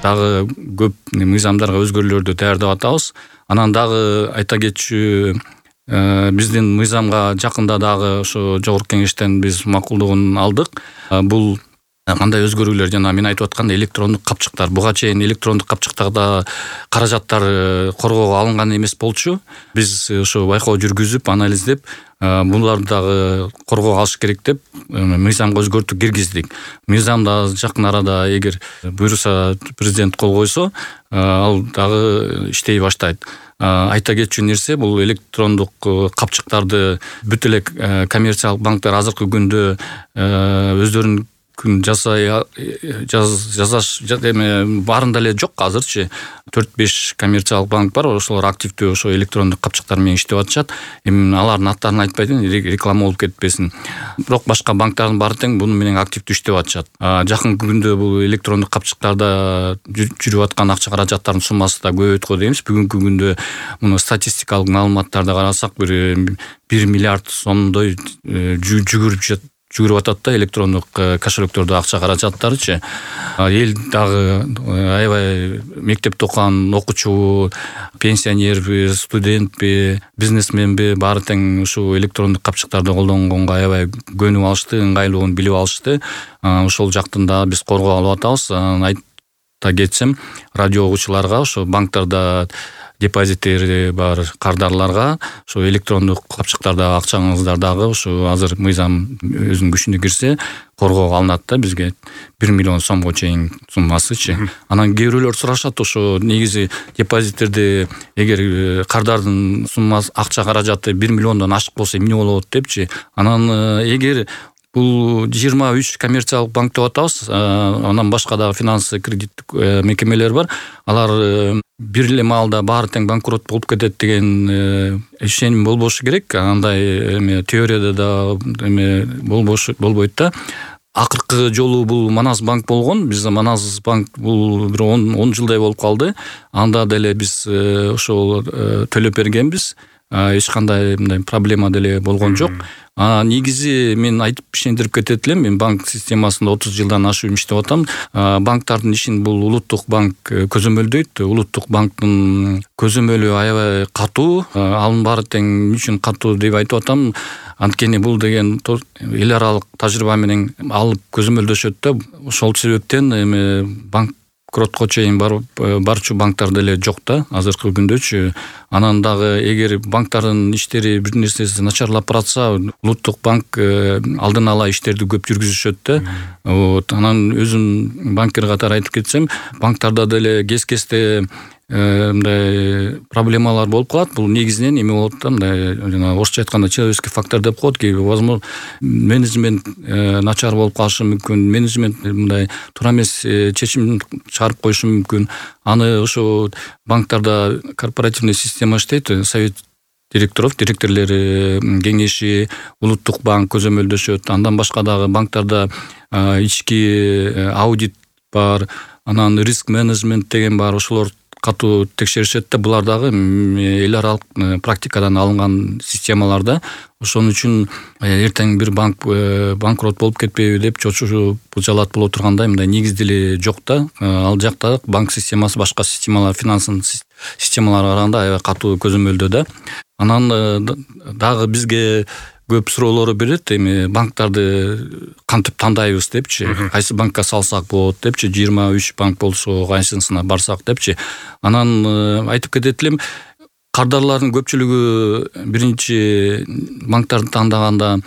дагы көп мыйзамдарга өзгөрүүлөрдү даярдап атабыз. Анан дагы айта кетчү, биздин мыйзамга жакында дагы ошо жогорку кеңештен биз макулдугун алдык. Бул кандай өзгөрүүлөр, жана мен айтып аткан электрондук капчыктар. Буга чейин электрондук капчыктарда каражаттар коргоого алынган эмес болчу. Биз ошо байкоо жүргүзүп, анализдеп, буларды дагы коргоого алыш керек деп мыйзамга өзгөртүү киргиздик. Мыйзамда жакын арада эгер буйруса президент кол койсо, ал дагы иштей баштайт. Айта кетчү нерсе, бул электрондук капчыктарды бүт эле коммерциялык банктар азыркы күндө өздөрүнүн жасаш баарында эле жок. Азырчы 4-5 коммерциялык банк бар, ошолор активдүү ошо электрондук капчыктар менен иштеп атышат. Эми алардын аттарын айтпайдын, реклама болуп кетпесин. Бирок башка банктардын баары тең буну менен активдүү иштеп атышат. Жакын күндө бул электрондук капчыктарда жүрүп аткан акча каражаттардын суммасы да көбөйөт го дейбиз. Бүгүнкү күндө муну статистикалык маалыматтарды карасак, 1 миллиард сомдой жүгүрүп атат да электрондук кошелектөрдө акча каражаттарычы. Эл дагы аябай мектепте окуган окуучу, пенсионерби, студентпи, бизнесменби баары тең ушу электрондук капчыктарды колдонгонго аябай көнүп алышты, ыңгайлуулугун билип алышты. Ошол жактан да биз коргоо алып атабыз. Айта кетсем, радио угуучуларга, ошо банктарда депозиттери бар кардарларга ошо электрондук капчыктарда акчаңыздар дагы ошо азыр мыйзам өзүнүн күчүнө кирсе коргоого алынат да, бизге 1 миллион сомго чейин суммасычы. Анан кээ бирөөлөр сурашат, ошо негизи депозиттерди эгер кардардын суммасы, акча каражаты 1 миллиондон ашык болсо эмне болот депчи. Анан эгер бул 23 коммерциялык банк деп атабыз, анан башка дагы финансы кредиттик мекемелер бар. Алар бир эле маалда баары тең банкрот болуп кетет деген ишеним болбошу керек. Андай теорияда да болбойт да. Акыркы жолу бул Манас банк болгон. Биз Манас банк бул бир 10 жылдай болуп калды. Анда деле биз ошол төлөп бергенбиз. Эч кандай мындай проблема деле болгон жок. Негизи мен айтып ишендирип кетет элем. Мен банк системасында 30 жылдан ашык иштеп атам. Банктардын ишин бул улуттук банк көзөмөлдөйт. Улуттук банктын көзөмөлү аябай катуу. Анын баары тең үчүн катуу деп айтып атам. Анткени бул деген эл аралык тажрыйба менен алып көзөмөлдөшөт да. Ошол себептен банкротко чейин барчу банктар деле жок да азыркы күндөчү. Анан дагы эгер банктардын иштери бир нерсеси начарлап баратса, улуттук банк алдын ала иштерди көп жүргүзүшөт да. Анан өзүм банкир катары айтып кетсем, банктарда деле кез-кезде мындай проблемалар болуп калат. Бул негизинен эме болот да, мындай жана орусча айтканда человеческий фактор деп коет. Возможно, менеджмент начар болуп калышы мүмкүн. Менеджмент мындай туура эмес чечим чыгарып коюшу мүмкүн. Аны ошо банктарда корпоративный система иштейт. Совет директорлери кеңеши, улуттук банк көзөмөлдөшөт. Андан башка дагы банктарда ички аудит бар, анан риск менеджмент деген бар. Ошолор катуу текшеришет да. Булар дагы эл аралык практикадан алынган системаларда. Ошон үчүн эртең бир банк банкрот болуп кетпейби деп чочуу жалат боло тургандай мындай негиз деле жок да. Ал жакта банк системасы башка системалар, финансын системаларга караганда аябай катуу көзөмөлдөө да. Анан дагы бизге көп суроолору берет. Эми банктарды кантип тандайбыз депчи, кайсы банкка салсак болот депчи, 23 банк болсо кайсысына барсак депчи. Анан айтып кетет элем, кардарлардын көпчүлүгү биринчи банктарды тандаганда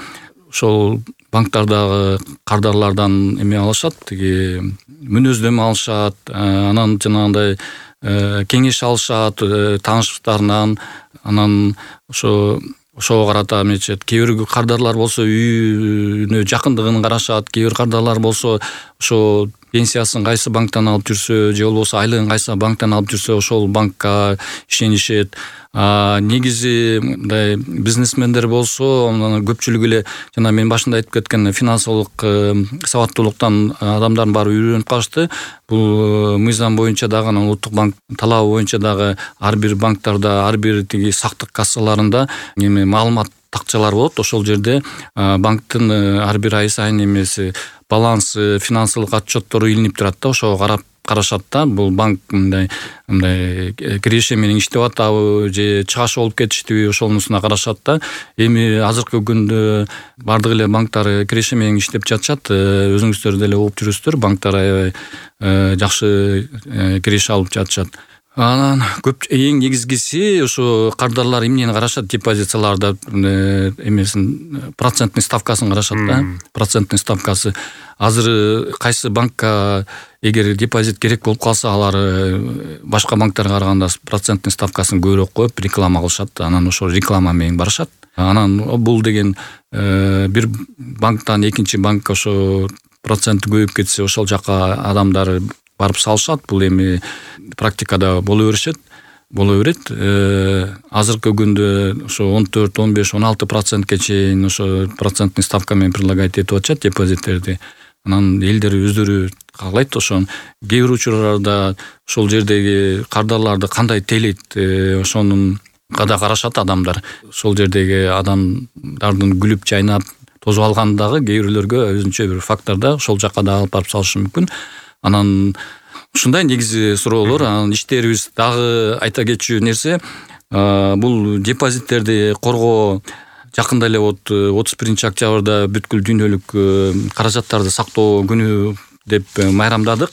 ошол банктардагы кардарлардан эме алышат, тиги мүнөздөмө алышат, анан жанагындай кеңеш алышат тааныштарынан. Анан ошого карата эмечет. Кээ бир кардарлар болсо үйүнө жакындыгын карашат, кээ бир кардарлар болсо ошо пенсиясын кайсы банктан алып жүрсө, же болбосо айлыгын кайсы банктан алып жүрсө, ошол банкка ишенишет. Негизи мындай бизнесмендер болсо, көпчүлүгү эле жана мен башында айтып кеткен финансылык сабаттуулуктан адамдардын баары үйрөнүп калышты. Бул мыйзам боюнча дагы, улуттук банк талабы боюнча дагы ар бир банктарда, ар бир тиги сактык кассаларында эме маалымат такчалар болот. Ошол жерде банктын ар бир ай сайын эмеси балансы, финансылык отчеттору илинип турат да. Ошого карап карашат да. Бул банк мындай киреше менен иштеп атабы же чыгаш болуп кетиштиби, ошонусуна карашат да. Эми азыркы күндө бардык эле банктар киреше менен иштеп жатышат. Өзүңүздөр деле угуп жүрөсүздөр, банктар аябай жакшы киреше алып жатышат. Анан көп эң негизгиси ошо кардарлар эмнени карашат, депозицияларда эмесин процентный ставкасын карашат да. Процентный ставкасы. Азыр кайсы банкка эгер депозит керек болуп калса, алар башка банктарга караганда процентный ставкасын көбүрөөк коюп реклама кылышат. Анан ошо реклама менен барышат. Анан бул деген бир банктан экинчи банкка ошо проценти көбөйүп кетсе, ошол жака адамдар барып салышат. Бул эми практикада боло берет. Азыркы күндө ошо 14, 15, 16%ке чейин ошо процентный ставка менен предлагать этип атышат депозиттерди. Анан элдер өздөрү каалайт ошон. Кээ бир учурларда ошол жердеги кардарларды кандай тейлейт, ошонун када карашат адамдар. Ошол жердеги адамдардын күлүп жайнап тозуп алгандагы кээ бирлөргө өзүнчө бир факторда ошол жака да алып барып салышы мүмкүн. Анан ушундай негизи суроолор. Анан иштерибиз дагы айта кетчү нерсе, бул депозиттерди коргоо жакында эле 31-октябрда бүткүл дүйнөлүк каражаттарды сактоо күнү деп майрамдадык.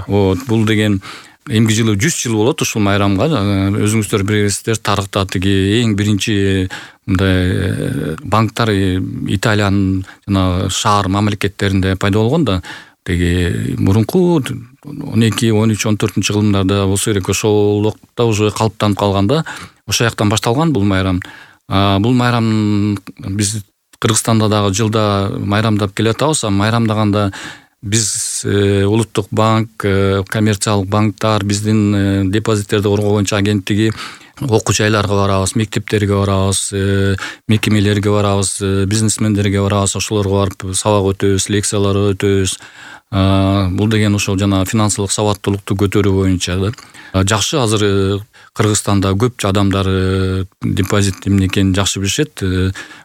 Бул деген эмки жылы 100 жыл болот ушул майрамга. Өзүңүздөр билесиздер, тарыхта тиги эң биринчи мындай банктар Италиянын жана шаар мамлекеттеринде пайда болгон да. Теги мурунку 12, 13, 14 жылдарда болсо керек, ошол убакта уже калыптанып калганда ошол жактан башталган бул майрам. Бул майрам биз Кыргызстанда дагы жылда майрамдап келатабыз. Майрамдаганда биз улуттук банк, коммерциялык банктар, биздин депозиттерди коргоо боюнча агенттиги окуу жайларга барабыз, мектептерге барабыз, мекемелерге барабыз, бизнесмендерге барабыз, ошолорго барып сабак өтөбүз, лекциялар өтөбүз. Бул деген ошол жана финансылык сабаттуулукту көтөрүү боюнча да. Жакшы, азыр Кыргызстанда көп адамдар депозит эмне экенин жакшы билишет.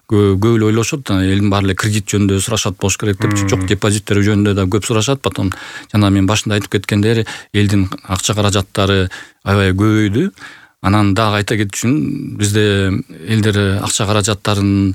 Көп эле ойлошот, элдин баары эле кредит жөнүндө сурашат болуш керек деп. Жок, депозиттер жөнүндө да көп сурашат. Потом жана мен башында айтып кеткендей, элдин акча каражаттары аябай көбөйдү. Анан дагы айта кетчүмүн, бизде элдер акча каражаттарын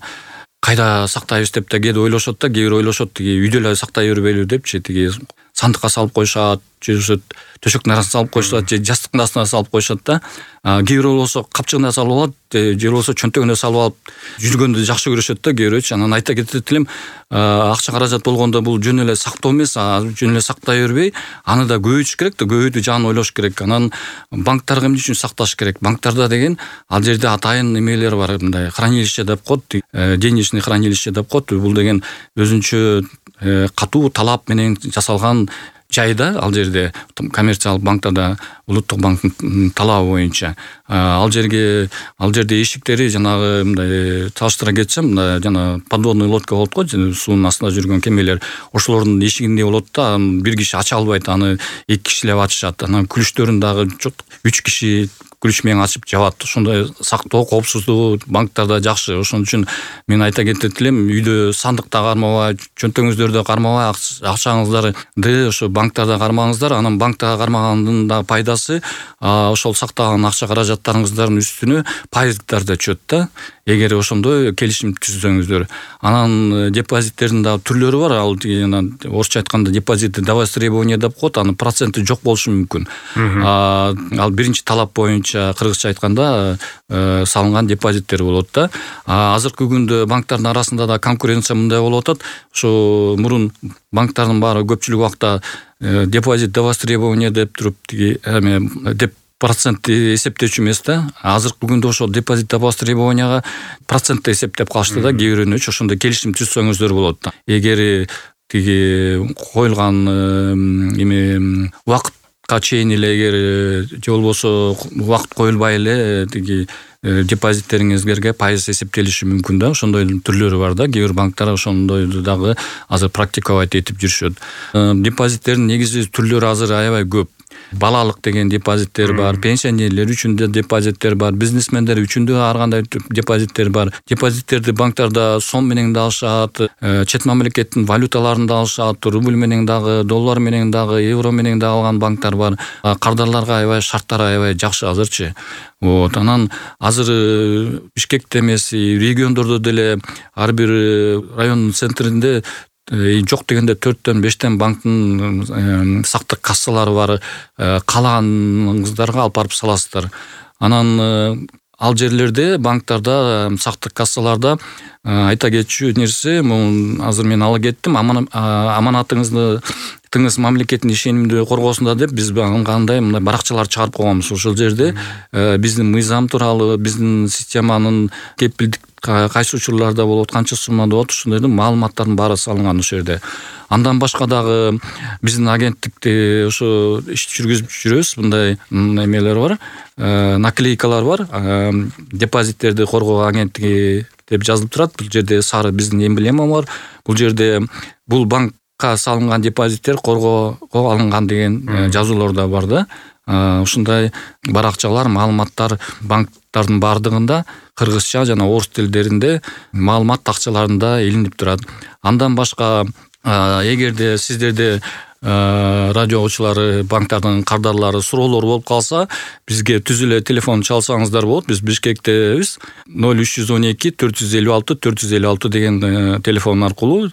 кайда сактайбыз деп да кээде ойлошот да, кээ бир ойлошот, тиги үйдө эле сактай бербейлүү депчи, тиги сандыкка салып коюшат, же төшөктүн арасына салып коюшат, же жастыктын астына салып коюшат да. Кээ бирөө болсо капчыгына салып алат, же болсо чөнтөгүнө салып алып жүргөндү жакшы көрүшөт да кээ бирөөчү. Анан айта кетет элем, акча каражат болгондо бул жөн эле сактоо эмес, жөн эле сактай бербей, аны да көбөйтүш керек да, көбөйтүү жагын ойлош керек. Анан банктарга эмне үчүн сакташ керек? Банктарда деген ал жерде атайын эмелер бар, мындай хранилище деп коет, денежный хранилище деп коет. Бул деген өзүнчө катуу талап менен жасалган жайда, ал жерде коммерциялык банктарда улуттук банктын талабы боюнча ал жерде эшиктери жанагы мындай салыштыра кетсем, жана подводный лодка болот го, суунун астында жүргөн кемелер, ошолордун эшигиндей болот да. Бир киши ача албайт, аны эки кишилеп ачышат. Анан күлүштөрүн дагы 3 киши күлүч менен ачып жабат. Ошондой сактоо, коопсуздугу банктарда жакшы. Ошон үчүн мен айта кетет элем, үйдө сандыкта кармабай, чөнтөгүңүздөрдө кармабай, акчаңыздарды ошо банктарда кармаңыздар. Анан банкта кармагандын да пайдасы ошол сактаган акча каражаттарыңыздардын үстүнө пайыздар да чөт да. Эгер ошондой келишим түзсөңүздөр. Анан депозиттердин да түрлөрү бар. Ал орусча айтканда депозиты до востребования деп коет. Анын проценти жок болушу мүмкүн. Ал биринчи талап боюнча кыргызча айтканда салынган депозиттер болот да. Азыркы күндө банктардын арасында да конкуренция мындай болуп атат. Ошо мурун банктардын баары көпчүлүк убакта депозит до востребования деп туруп деп процентти эсептечү эмес да. Азыркы күндө ошол депозит до востребованияга процентти эсептеп калышты да. Кээ бирөөнүчү ошондой келишим түзсөңүздөр болот да. Эгер тиги коюлган убакытка чейин эле, эгер же болбосо убакыт коюлбай эле тиги депозиттериңизге пайыз эсептелиши мүмкүн да. Ошондой түрлөрү бар да. Кээ бир банктар ошондойду дагы азыр практиковать этип жүрүшөт. Депозиттердин негизи түрлөрү азыр аябай көп. балалык деген депозиттер бар, пенсионерлер үчүн да депозиттер бар, бизнесмендер үчүн да ар кандай депозиттер бар. Депозиттерди банктарда сом менен да алышат, чет мамлекеттин валюталарын да алышат, рубль менен дагы, доллар менен дагы, евро менен да алган банктар бар. Кардарларга аябай шарттары аябай жакшы азырчы. Вот, анан азыр Бишкекте эмес, региондордо деле ар бир райондун центринде жок дегенде 4-5 банктын сактык кассалары бар. Каалаганыңыздарга алып барып саласыздар. Анан ал жерлерде банктарда сактык кассаларда айта кетчү нерсе, азыр мен ала кеттим, аманатыңызды тыңыз мамлекеттин ишенимди коргосунда деп биз кандай мындай баракчалар чыгарып койгонбуз. Ошол жерде биздин мыйзам тууралуу, биздин системанын кепилдик кайсы учурларда болот, канча суммада болот, ушундайдын маалыматтардын баары салынган ошол жерде. Андан башка дагы биздин агенттикте ошо иш жүргүзүп жүрөбүз. Мындай эмелер бар, наклейкалар бар. Депозиттерди коргоо агенттиги деп жазылып турат. Бул жерде сары биздин эмблема бар. Бул жерде бул банкка салынган депозиттер коргоого алынган деген жазуулар да бар да. Ушундай баракчалар, маалыматтар банктардын баардыгында кыргызча жана орус тилдеринде маалымат такчаларында илинип турат. Андан башка эгерде сиздерде радио угуучулары, банктардын кардарлары суроолор болуп калса, бизге түз эле телефон чалсаңыздар болот. Биз Бишкектебиз. 0312 456 456 деген телефон аркылуу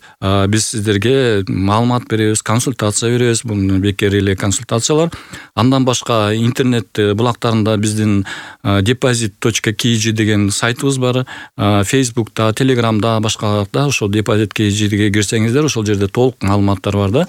биз сиздерге маалымат беребиз, консультация беребиз. Бул бекер эле консультациялар. Андан башка интернет булактарында биздин deposit.kg деген сайтыбыз бар. Facebook'та, Telegram'да, башкаларда ошол deposit.kg'ге кирсеңиздер, ошол жерде толук маалыматтар бар да.